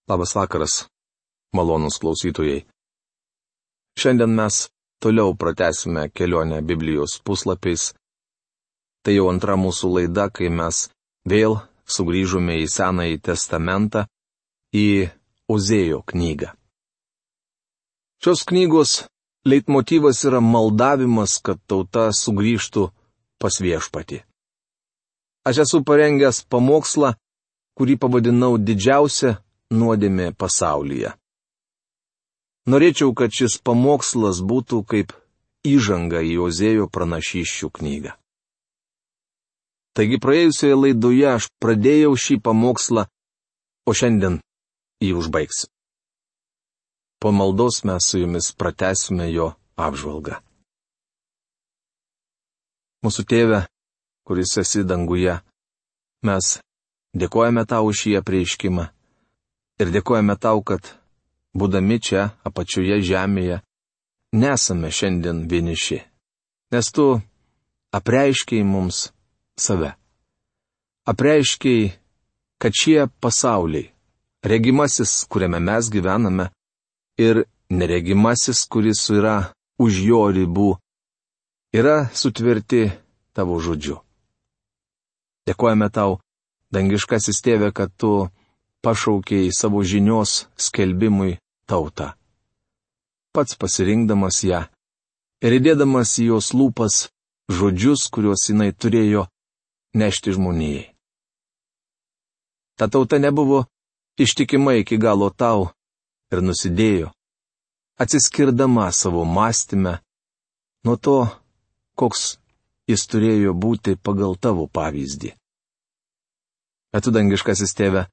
Labas vakaras, malonūs klausytojai. Šiandien mes toliau pratęsime kelionę Biblijos puslapiais. Tai jau antra mūsų laida, kai mes vėl sugrįžome į Senąjį testamentą, į Ozėjo knygą. Šios knygos leitmotyvas yra maldavimas, kad tauta sugrįžtų pas Viešpatį. Aš esu parengęs pamokslą, kurį pavadinau Didžiausia nuodėmė pasaulyje. Norėčiau, kad šis pamokslas būtų kaip įžanga į Ozėjo pranašysčių knygą. Taigi praėjusioje laidoje aš pradėjau šį pamokslą, o šiandien jį užbaigsiu. Po maldos mes su jumis pratęsime jo apžvalgą. Mūsų Tėve, kuris esi danguje, mes dėkojame tau už šį apreiškimą ir dėkojame tau, kad, būdami čia, apačioje žemėje, nesame šiandien vieniši, nes tu apreiškiai mums save. Apreiškiai, kad šie pasauliai, regimasis, kuriame mes gyvename, ir neregimasis, kuris yra už jo ribų, yra sutverti tavo žodžiu. Dėkojame tau, dangiškasis Tėve, kad tu pašaukei savo žinios skelbimui tautą. Pats pasirinkdamas ją ir įdėdamas į jos lūpas žodžius, kuriuos jinai turėjo nešti žmonijai. Ta tauta nebuvo ištikima iki galo tau ir nusidėjo, atsiskirdama savo mąstyme nuo to, koks jis turėjo būti pagal tavo pavyzdį. Bet tu, dangiškasis Tėve,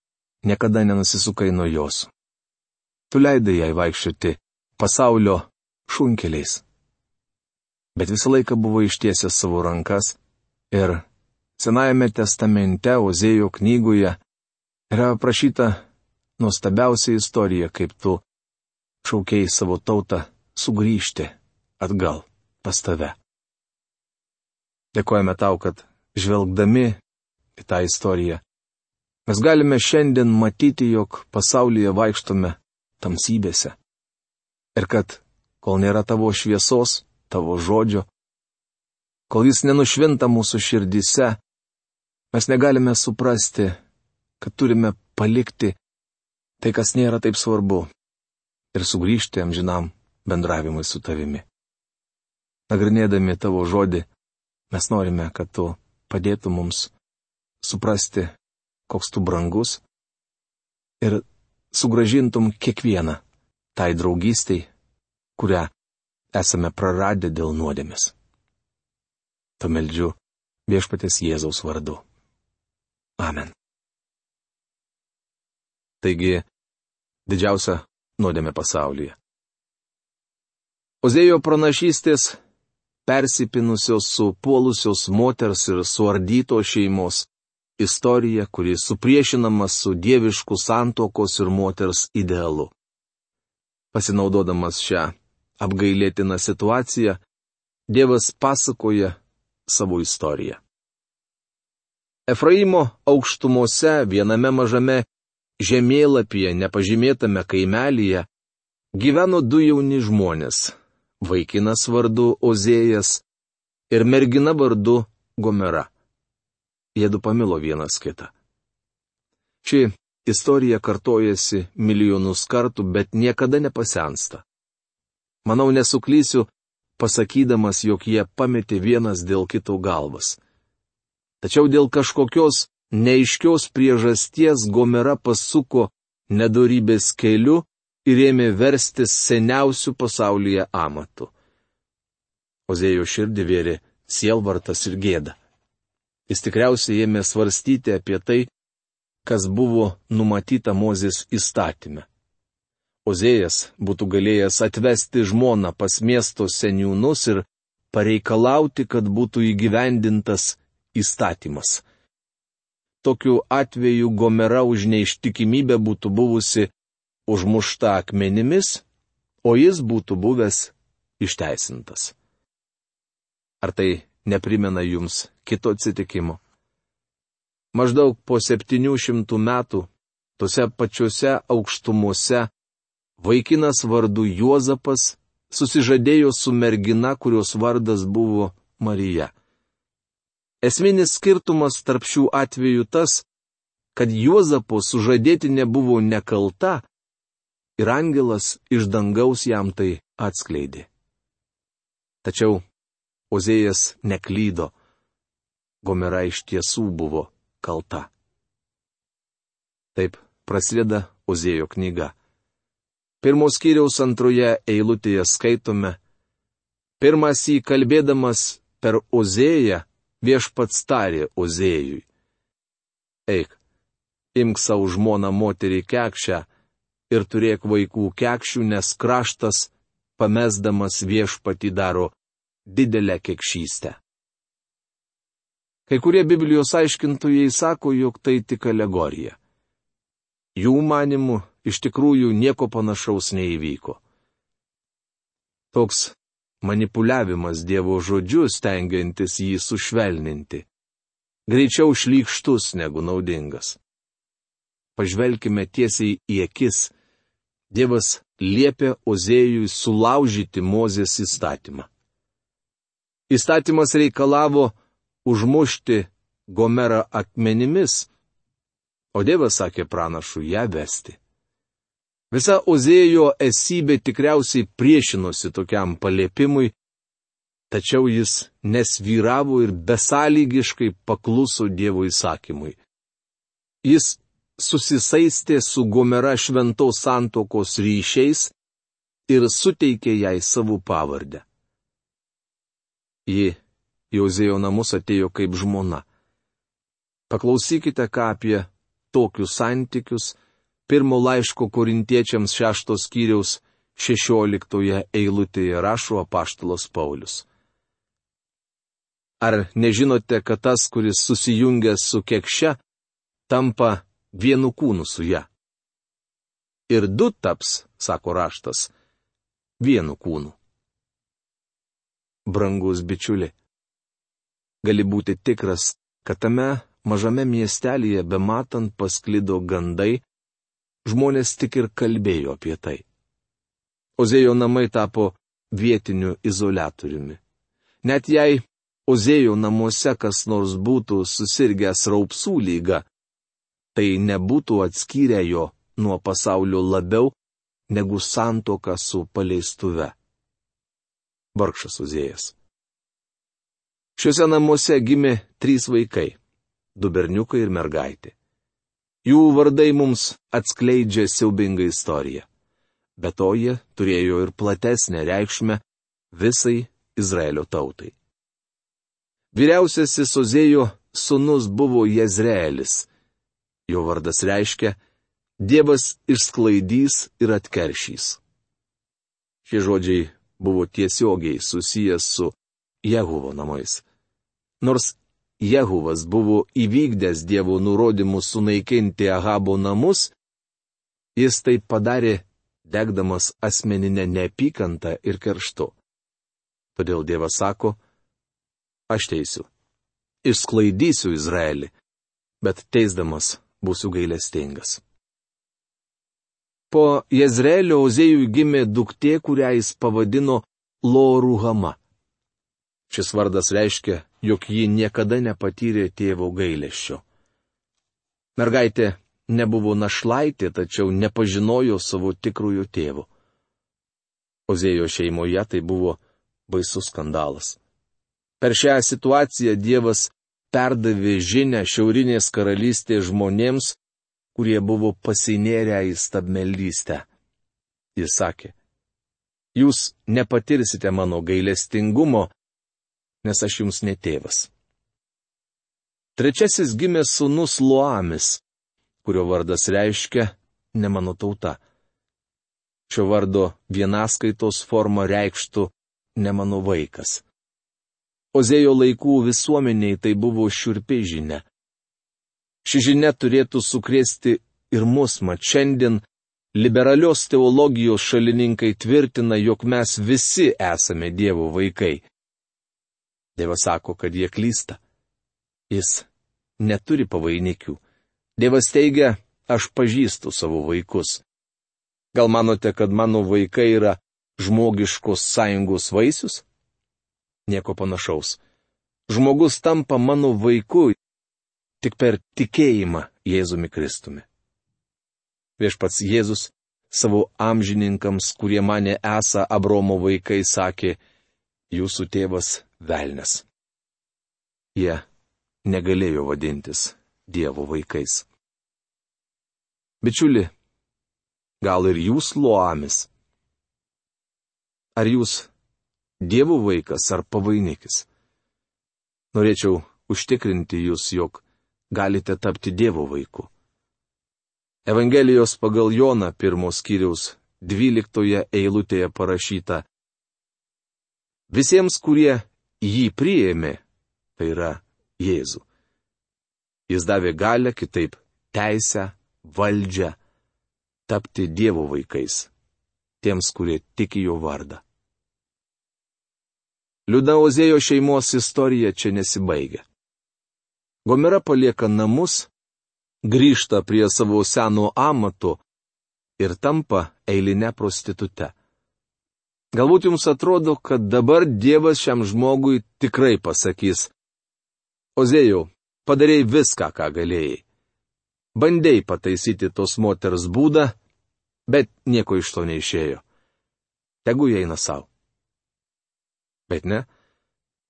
niekada nenusisukai nuo jos. Tu leidai jai vaikščioti pasaulio šunkeliais. Bet visą laiką buvo ištiesęs savo rankas ir Senajame testamente Ozėjo knygoje yra aprašyta nuostabiausia istorija, kaip tu šaukei savo tautą sugrįžti atgal pas tave. Dėkojame tau, kad žvelgdami į tą istoriją, mes galime šiandien matyti, jog pasaulyje vaikštome tamsybėse. Ir kad, kol nėra tavo šviesos, tavo žodžio, kol jis nenušvinta mūsų širdyse, mes negalime suprasti, kad turime palikti tai, kas nėra taip svarbu, ir sugrįžti amžinam bendravimui su tavimi. Nagrinėdami tavo žodį, mes norime, kad tu padėtum mums suprasti, koks tu brangus, ir sugrąžintum kiekvieną tai draugystei, kurią esame praradę dėl nuodėmės. Tu meldžiu Viešpaties Jėzaus vardu. Amen. Taigi, didžiausia nuodėmė pasaulyje. Ozėjo pranašystės, persipinusios su puolusios moters ir suardytos šeimos, istorija, kuri supriešinama su dievišku santuokos ir moters idealu. Pasinaudodamas šią apgailėtiną situaciją, Dievas pasakoja savo istoriją. Efraimo aukštumose viename mažame žemėlapyje nepažymėtame kaimelyje gyveno du jauni žmonės, vaikinas vardu Ozėjas ir mergina vardu Gomera. Jiedu pamilo vienas kitą. Ši istorija kartojasi milijonus kartų, bet niekada nepasensta. Manau, nesuklysiu, pasakydamas, jog jie pametė vienas dėl kito galvas. Tačiau dėl kažkokios neaiškios priežasties Gomera pasuko nedorybės keliu ir ėmė verstis seniausių pasaulyje amatų. Ozėjo širdį vėrė sielvartas ir gėda. Jis tikriausiai ėmė svarstyti apie tai, kas buvo numatyta Mozės įstatyme. Ozėjas būtų galėjęs atvesti žmoną pas miesto seniūnus ir pareikalauti, kad būtų įgyvendintas įstatymas. Tokiu atveju Gomera už neištikimybę būtų buvusi užmušta akmenimis, o jis būtų buvęs išteisintas. Ar tai neprimena jums kito atsitikimo? Maždaug po 700 metų tose pačiose aukštumose, vaikinas vardu Juozapas susižadėjo su mergina, kurios vardas buvo Marija. Esminis skirtumas tarp šių atvejų tas, kad Juozapo sužadėtinė buvo nekalta ir angelas iš dangaus jam tai atskleidė. Tačiau Ozėjas neklydo. Gomera iš tiesų buvo kalta. Taip prasideda Ozėjo knyga. 1 skyriaus 2 eilutėje skaitome: pirmąsyk kalbėdamas per Ozėją, viešpats tarė Ozėjui: eik, imk savo žmoną moterį kekšę ir turėk vaikų kekšių, nes kraštas, pamesdamas viešpatį, daro didelę kekšystę. Kai kurie Biblijos aiškintojai sako, jog tai tik alegorija. Jų manimu, iš tikrųjų nieko panašaus neįvyko. Toks manipuliavimas Dievo žodžiu, stengiantis jį sušvelninti, greičiau šlykštus negu naudingas. Pažvelkime tiesiai į akis. Dievas liepė Ozėjui sulaužyti Mozės įstatymą. Įstatymas reikalavo užmušti Gomerą akmenimis, o Dievas sakė pranašui ją vesti. Visa Ozėjo esybė tikriausiai priešinosi tokiam paliepimui, tačiau jis nesvyravo ir besąlygiškai pakluso Dievo įsakymui. Jis susisaistė su Gomera šventos santuokos ryšiais ir suteikė jai savo pavardę. Ji į Ozėjo namus atėjo kaip žmona. Paklausykite, ką apie tokius santykius 1 laiško Korintiečiams 6 skyriaus 16 eilutėje rašo apaštalas Paulius. Ar nežinote, kad tas, kuris susijungęs su kekše, tampa vienu kūnu su ja? Ir du taps, sako raštas, vienu kūnu. Brangus bičiuli, gali būti tikras, kad tame mažame miestelėje bematant pasklido gandai, žmonės tik ir kalbėjo apie tai. Ozėjo namai tapo vietiniu izoliatoriumi. Net jei Ozėjo namuose kas nors būtų susirgęs raupsų lyga, tai nebūtų atskyrę jo nuo pasaulio labiau negu santuoka su paleistuve. Vargšas Ozėjas. Šiuose namuose gimė 3 vaikai - 2 berniukai ir mergaitė. Jų vardai mums atskleidžia siaubingą istoriją. Be to jie turėjo ir platesnę reikšmę visai Izraelio tautai. Vyriausiasis Ozėjo sūnus buvo Jezreelis. Jo vardas reiškia Dievas išsklaidys ir atkeršys. Šie žodžiai buvo tiesiogiai susijęs su Jehuvo namais. Nors Jehuvas buvo įvykdęs Dievo nurodymus sunaikinti Ahabo namus, jis tai padarė degdamas asmeninę neapykantą ir kerštu. Todėl Dievas sako: aš teisiu, išsklaidysiu Izraelį, bet teisdamas būsiu gailestingas. Po Jezreelio Ozėjui gimė duktė, kurią jis pavadino Lo-Ruhama. Šis vardas reiškia, jog ji niekada nepatyrė tėvo gailesčio. Mergaitė nebuvo našlaitė, tačiau nepažinojo savo tikrojo tėvo. Ozėjo šeimoje tai buvo baisus skandalas. Per šią situaciją Dievas perdavė žinią šiaurinės karalystės žmonėms, kurie buvo pasinėrę į stabmeldystę. Jis sakė: jūs nepatirsite mano gailestingumo, nes aš jums ne tėvas. Trečiasis gimė sūnus Loamis, kurio vardas reiškia ne mano tauta. Šio vardo vienaskaitos forma reikštų ne mano vaikas. Ozėjo laikų visuomeniai tai buvo šiurpi žinia. Ši žinia turėtų sukrėsti ir mus, mat šiandien liberalios teologijos šalininkai tvirtina, jog mes visi esame Dievo vaikai. Dievas sako, kad jie klysta. Jis neturi pavainikių. Dievas teigia, aš pažįstu savo vaikus. Gal manote, kad mano vaikai yra žmogiškos sąjungos vaisius? Nieko panašaus. Žmogus tampa mano vaiku tik per tikėjimą Jėzumi Kristumi. Viešpats Jėzus savo amžininkams, kurie mane esą Abromo vaikai, sakė, jūsų tėvas velnias. Jie negalėjo vadintis Dievo vaikais. Bičiuli, gal ir jūs Loamis? Ar jūs Dievo vaikas ar pavainikis? Norėčiau užtikrinti jūs, jog galite tapti Dievo vaiku. Evangelijos pagal Joną 1 skyriaus 12 eilutėje parašyta: visiems, kurie jį priėmė, tai yra Jėzų, jis davė galią, kitaip teisę, valdžią, tapti Dievo vaikais, tiems, kurie tiki jo vardą. Liūdna Ozėjo šeimos istorija čia nesibaigia. Gomera palieka namus, grįžta prie savo seno amato ir tampa eiline prostitute. Galbūt jums atrodo, kad dabar Dievas šiam žmogui tikrai pasakys: Ozėjau, padarei viską, ką galėjai. Bandei pataisyti tos moters būdą, bet nieko iš to neišėjo. Tegu jie eina savo. Bet ne.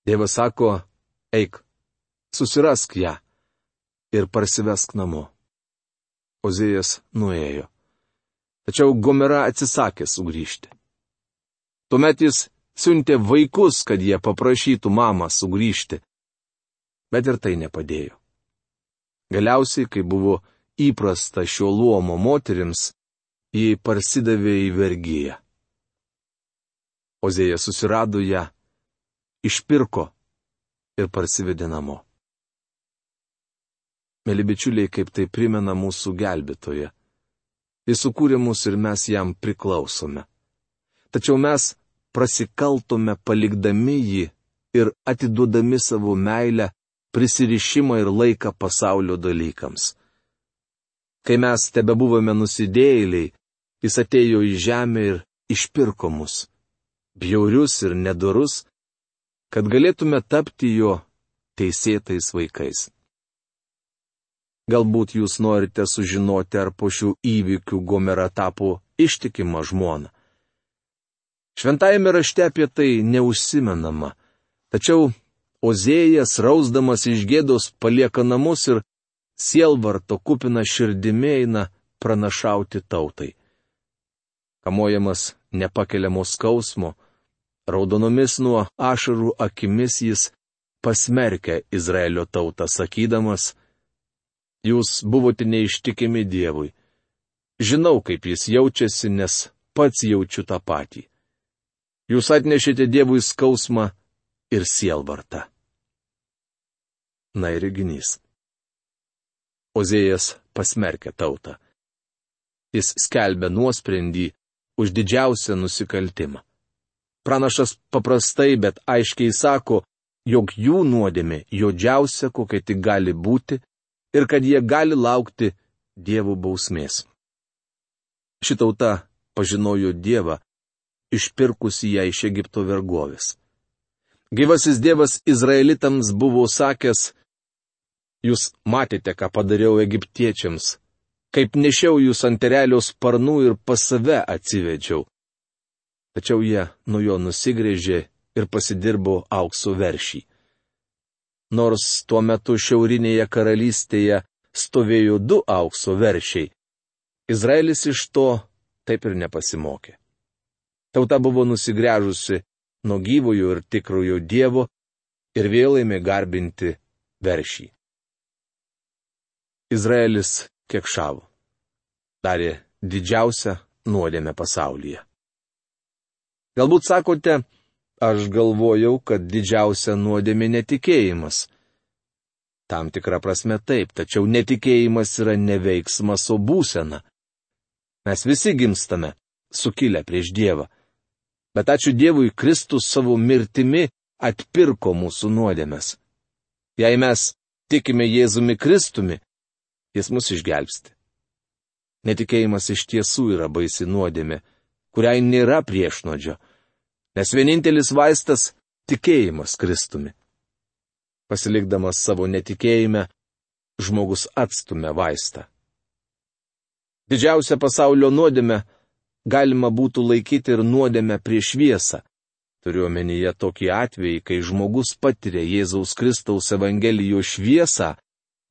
Dievas sako, eik, susirask ją ir parsivesk namo. Ozėjas nuėjo. Tačiau Gomera atsisakė sugrįžti. Tuomet jis siuntė vaikus, kad jie paprašytų mamą sugrįžti. Bet ir tai nepadėjo. Galiausiai, kai buvo įprasta šio luomo moterims, ji parsidavė į vergiją. Ozėjas susirado ją, išpirko ir parsivedė namo. Mėly bičiuliai, kaip tai primena mūsų gelbėtoją. Jis sukūrė mus ir mes jam priklausome. Tačiau mes prasikaltome palikdami jį ir atiduodami savo meilę, prisirišimą ir laiką pasaulio dalykams. Kai mes tebebuvome nusidėjėliai, jis atėjo į žemę ir išpirko mus, bjaurius ir nedorus, kad galėtume tapti jo teisėtais vaikais. Galbūt jūs norite sužinoti, ar po šių įvykių Gomera tapo ištikima žmona. Šventajame rašte apie tai neužsimenama, tačiau Ozėjas, rausdamas iš gėdos, palieka namus ir sielvarto kupina širdimi eina pranašauti tautai. Kamuojamas nepakeliamo skausmo, raudonomis nuo ašarų akimis jis pasmerkia Izraelio tautą, sakydamas: jūs buvote neištikimi Dievui. Žinau, kaip jis jaučiasi, nes pats jaučiu tą patį. Jūs atnešėte Dievui skausmą ir sielvartą. Na ir reginys. Ozėjas pasmerkia tautą. Jis skelbia nuosprendį už didžiausią nusikaltimą. Pranašas paprastai, bet aiškiai sako, jog jų nuodėmė juodžiausia, kokia tik gali būti, ir kad jie gali laukti Dievo bausmės. Ši tauta pažinojo Dievą, išpirkusi ją iš Egipto vergovės. Gyvasis Dievas izraelitams buvo sakęs: jūs matėte, ką padariau egiptiečiams, kaip nešiau jūs ant erelio sparnų ir pas save atsivedžiau. Tačiau jie nuo jo nusigręžė ir pasidirbo aukso veršį. Nors tuo metu šiaurinėje karalystėje stovėjo 2 aukso veršiai, Izraelis iš to taip ir nepasimokė. Tauta buvo nusigręžusi nuo gyvojo ir tikrojo Dievo ir vėl ėmė garbinti veršį. Izraelis kekšavo. Darė didžiausią nuodėmę pasaulyje. Galbūt sakote, aš galvojau, kad didžiausia nuodėmė netikėjimas. Tam tikra prasme taip, tačiau netikėjimas yra ne veiksmas, o būsena. Mes visi gimstame, sukilę prieš Dievą. Bet ačiū Dievui, Kristus savo mirtimi atpirko mūsų nuodėmes. Jei mes tikime Jėzumi Kristumi, jis mus išgelbsti. Netikėjimas iš tiesų yra baisi nuodėmė, kuriai nėra priešnuodžio, nes vienintelis vaistas - tikėjimas Kristumi. Pasilikdamas savo netikėjime, žmogus atstumia vaistą. Didžiausia pasaulio nuodėmė galima būtų laikyti ir nuodėmę prieš šviesą. Turiu omenyje tokį atvejį, kai žmogus patiria Jėzaus Kristaus Evangelijos šviesą,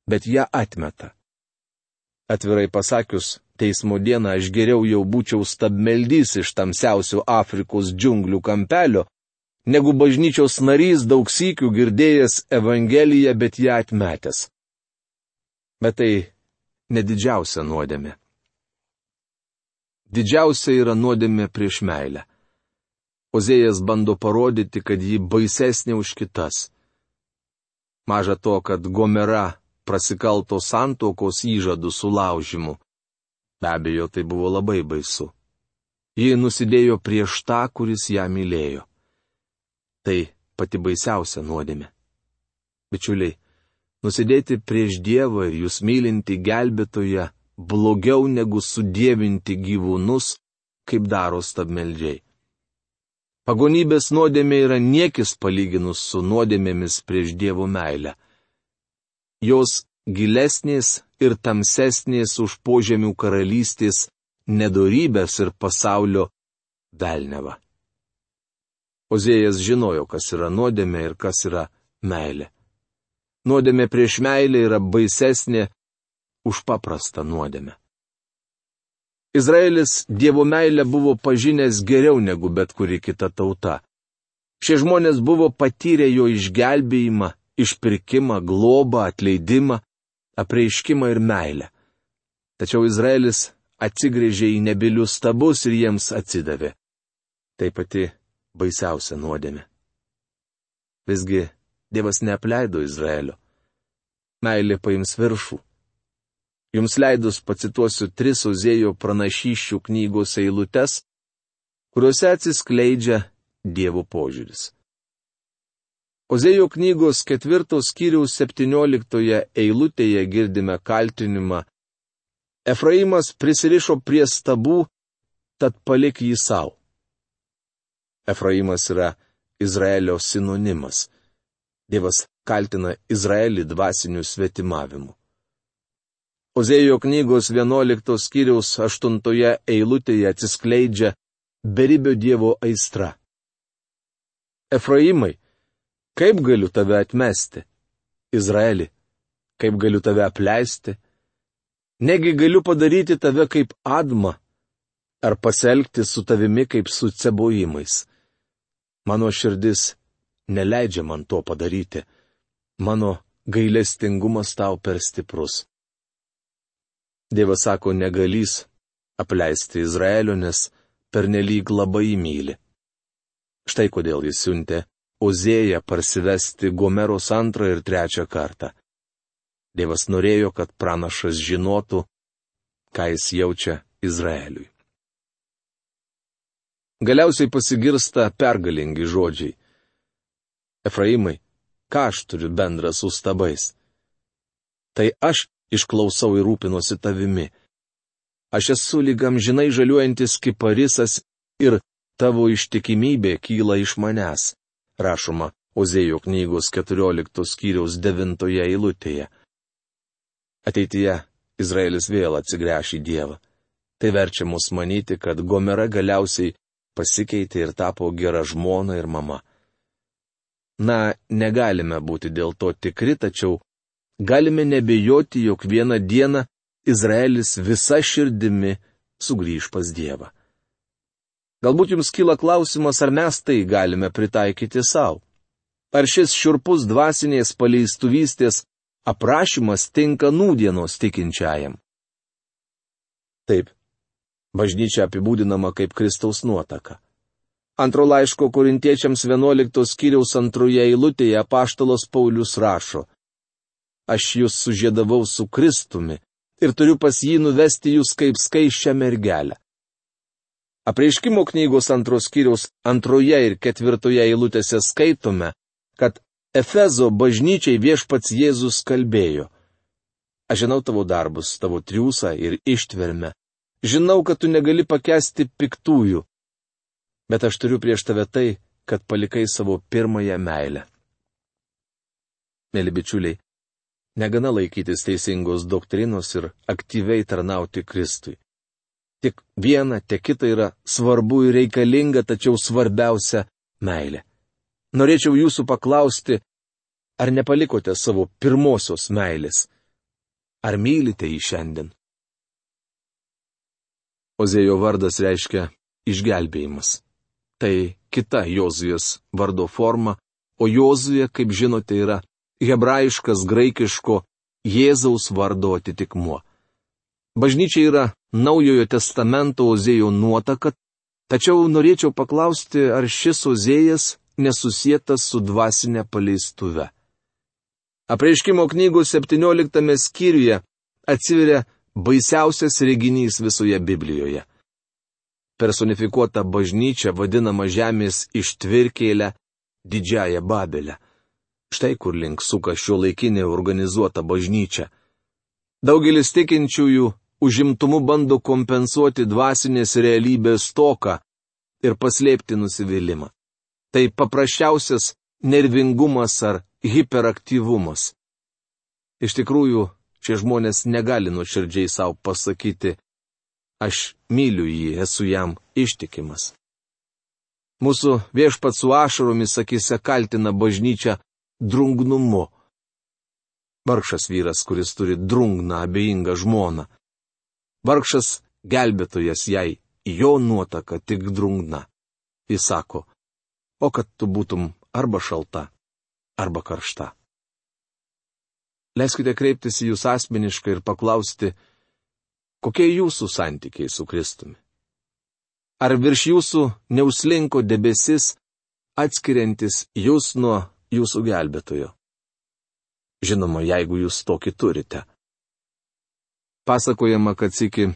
bet ją atmeta. Atvirai pasakius, teismo dieną aš geriau jau būčiau stabmeldys iš tamsiausių Afrikos džiunglių kampelio, negu bažnyčios narys daug sykių girdėjęs Evangeliją, bet ją atmetęs. Bet tai nedidžiausia nuodėmė. Didžiausia yra nuodėmė prieš meilę. Ozėjas bando parodyti, kad ji baisesnė už kitas. Maža to, kad Gomera prasikalto santuokos įžadų sulaužimu. Be abejo, tai buvo labai baisu. Ji nusidėjo prieš tą, kuris ją mylėjo. Tai pati baisiausia nuodėmė. Bičiuliai, nusidėti prieš Dievą ir jūs mylinti gelbėtoją blogiau negu sudievinti gyvūnus, kaip daro stabmeldžiai. Pagonybės nuodėmė yra niekis palyginus su nuodėmėmis prieš Dievo meilę. Jos gilesnės ir tamsesnės už požemių karalystės nedorybės ir pasaulio velnevą. Ozėjas žinojo, kas yra nuodėmė ir kas yra meilė. Nuodėmė prieš meilę yra baisesnė už paprastą nuodėmę. Izraelis Dievo meilę buvo pažinęs geriau negu bet kuri kita tauta. Šie žmonės buvo patyrę jo išgelbėjimą, išpirkimą, globą, atleidimą, apreiškimą ir meilę. Tačiau Izraelis atsigręžė į nebylius stabus ir jiems atsidavė. Tai pati baisiausia nuodėmė. Visgi Dievas neapleido Izraelio. Meilė paims viršų. Jums leidus pacituosiu 3 Ozėjo pranašysčių knygos eilutes, kuriuose atsiskleidžia Dievo požiūris. Ozėjo knygos 4 skyriaus 17 eilutėje girdime kaltinimą: Efraimas prisirišo prie stabų, tad palik jį savo. Efraimas yra Izraelio sinonimas. Dievas kaltina Izraelį dvasiniu svetimavimu. Ozėjo knygos 11 skyriaus 8 eilutėje atsiskleidžia beribio Dievo aistra. Efraimai, kaip galiu tave atmesti? Izraeli, kaip galiu tave apleisti? Negi galiu padaryti tave kaip Admą, ar pasielgti su tavimi kaip su Cebojimais? Mano širdis neleidžia man to padaryti. Mano gailestingumas tau per stiprus. Dievas sako, negalys apleisti Izraelio, nes pernelyg labai myli. Štai kodėl jis siuntė Ozėją parsivesti Gomeros 2 ir 3 kartą. Dievas norėjo, kad pranašas žinotų, ką jis jaučia Izraeliui. Galiausiai pasigirsta pergalingi žodžiai. Efraimai, ką aš turiu bendra su stabais? Tai aš išklausau ir rūpinuosi tavimi. Aš esu lyg amžinai žaliuojantis kiparisas ir tavo ištikimybė kyla iš manęs, rašoma Ozėjo knygos 14 skyriaus 9 eilutėje. Ateityje Izraelis vėl atsigręš į Dievą. Tai verčia mus manyti, kad Gomera galiausiai pasikeitė ir tapo gera žmona ir mama. Na, negalime būti dėl to tikri, tačiau galime nebejoti, jog vieną dieną Izraelis visa širdimi sugrįž pas Dievą. Galbūt jums kyla klausimas, ar mes tai galime pritaikyti savo. Ar šis šiurpus dvasinės paleistuvystės aprašymas tinka nūdienos tikinčiajam? Taip, bažnyčia apibūdinama kaip Kristaus nuotaka. Antro laiško Korintiečiams 11 skyriaus 2 eilutėje apaštalas Paulius rašo: Aš jūs sužiedavau su Kristumi ir turiu pas jį nuvesti jūs kaip skaisčią mergelę. Apreiškimo knygos 2 skyriaus 2 ir 4 eilutėse skaitome, kad Efezo bažnyčiai viešpats Jėzus kalbėjo: Aš žinau tavo darbus, tavo triūsą ir ištvermę, žinau, kad tu negali pakęsti piktųjų, bet aš turiu prieš tave tai, kad palikai savo pirmąją meilę. Mėly bičiuliai, negana laikytis teisingos doktrinos ir aktyviai tarnauti Kristui. Tik viena, tiek kita yra svarbu ir reikalinga, tačiau svarbiausia - meilė. Norėčiau jūsų paklausti, ar nepalikote savo pirmosios meilės? Ar mylite jį šiandien? Ozėjo vardas reiškia išgelbėjimas. Tai kita Jozujos vardo forma, o Jozuje, kaip žinote, yra hebrajiškas graikiško Jėzaus vardo atitikmuo. Bažnyčia yra Naujojo testamento Ozėjo nuotaka, tačiau norėčiau paklausti, ar šis Ozėjas nesusietas su dvasinė paleistuve. Apreiškimo knygos 17 skyriuje atsiveria baisiausias reginys visoje Biblijoje. Personifikuota bažnyčia vadinama žemės ištvirkėlę didžiąją Babelę. Štai kur link suka šiuolaikinė organizuota bažnyčia. Daugelis tikinčiųjų užimtumu bando kompensuoti dvasinės realybės stoką ir paslėpti nusivylimą. Tai paprasčiausias nervingumas ar hiperaktyvumas. Iš tikrųjų, šie žmonės negali nuoširdžiai savo pasakyti, aš myliu jį, esu jam ištikimas. Mūsų Viešpats su ašaromis akise kaltina bažnyčią drungnumu. Vargšas vyras, kuris turi drungną abejingą žmoną. Vargšas gelbėtojas jai, jo nuotaka tik drungna. Jis sako, o kad tu būtum arba šalta, arba karšta. Leiskite kreiptis į jūs asmeniškai ir paklausti, kokie jūsų santykiai su Kristumi? Ar virš jūsų neuslinko debesis, atskiriantis jūs nuo jūsų gelbėtojo? Žinoma, jeigu jūs tokį turite. Pasakojama, kad sykį,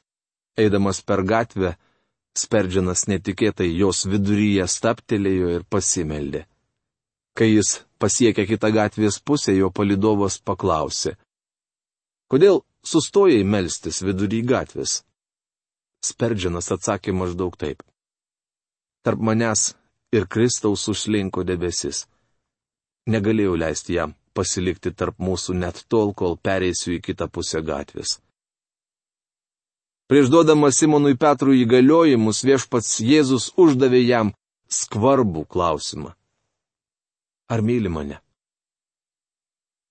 eidamas per gatvę, Sperdžianas netikėtai jos viduryje stabtelėjo ir pasimeldė. Kai jis pasiekė kitą gatvės pusę, jo palydovas paklausė, kodėl sustojai melstis vidury gatvės? Sperdžianas atsakė maždaug taip. Tarp manęs ir Kristaus užslinko debesis. Negalėjau leisti jam pasilikti tarp mūsų net tol, kol pereisiu į kitą pusę gatvės. Prieš duodamas Simonui Petrui įgaliojimus, Viešpats Jėzus uždavė jam skvarbų klausimą. Ar myli mane?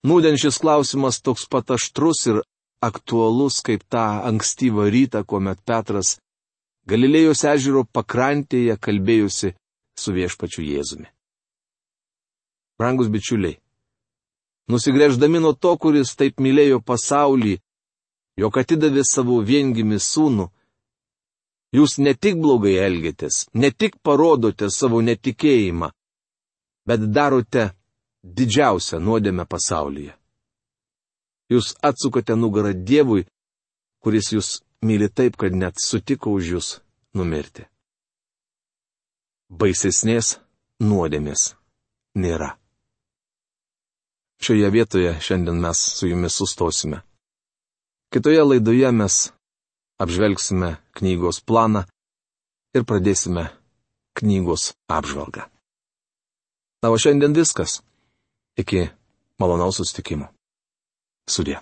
Nūdien šis klausimas toks pat aštrus ir aktualus kaip tą ankstyvą rytą, kuomet Petras Galilėjos ežero pakrantėje kalbėjusi su Viešpačiu Jėzumi. Brangus bičiuliai, nusigręždami nuo to, kuris taip mylėjo pasaulį, jog atidavė savo viengimį sūnų, jūs ne tik blogai elgiatės, ne tik parodote savo netikėjimą, bet darote didžiausią nuodėmę pasaulyje. Jūs atsukate nugarą Dievui, kuris jūs myli taip, kad net sutiko už jūs numirti. Baisesnės nuodėmės nėra. Šioje vietoje šiandien mes su jumis sustosime. Kitoje laidoje mes apžvelgsime knygos planą ir pradėsime knygos apžvalgą. Na, o šiandien viskas. Iki malonaus susitikimo. Sudie.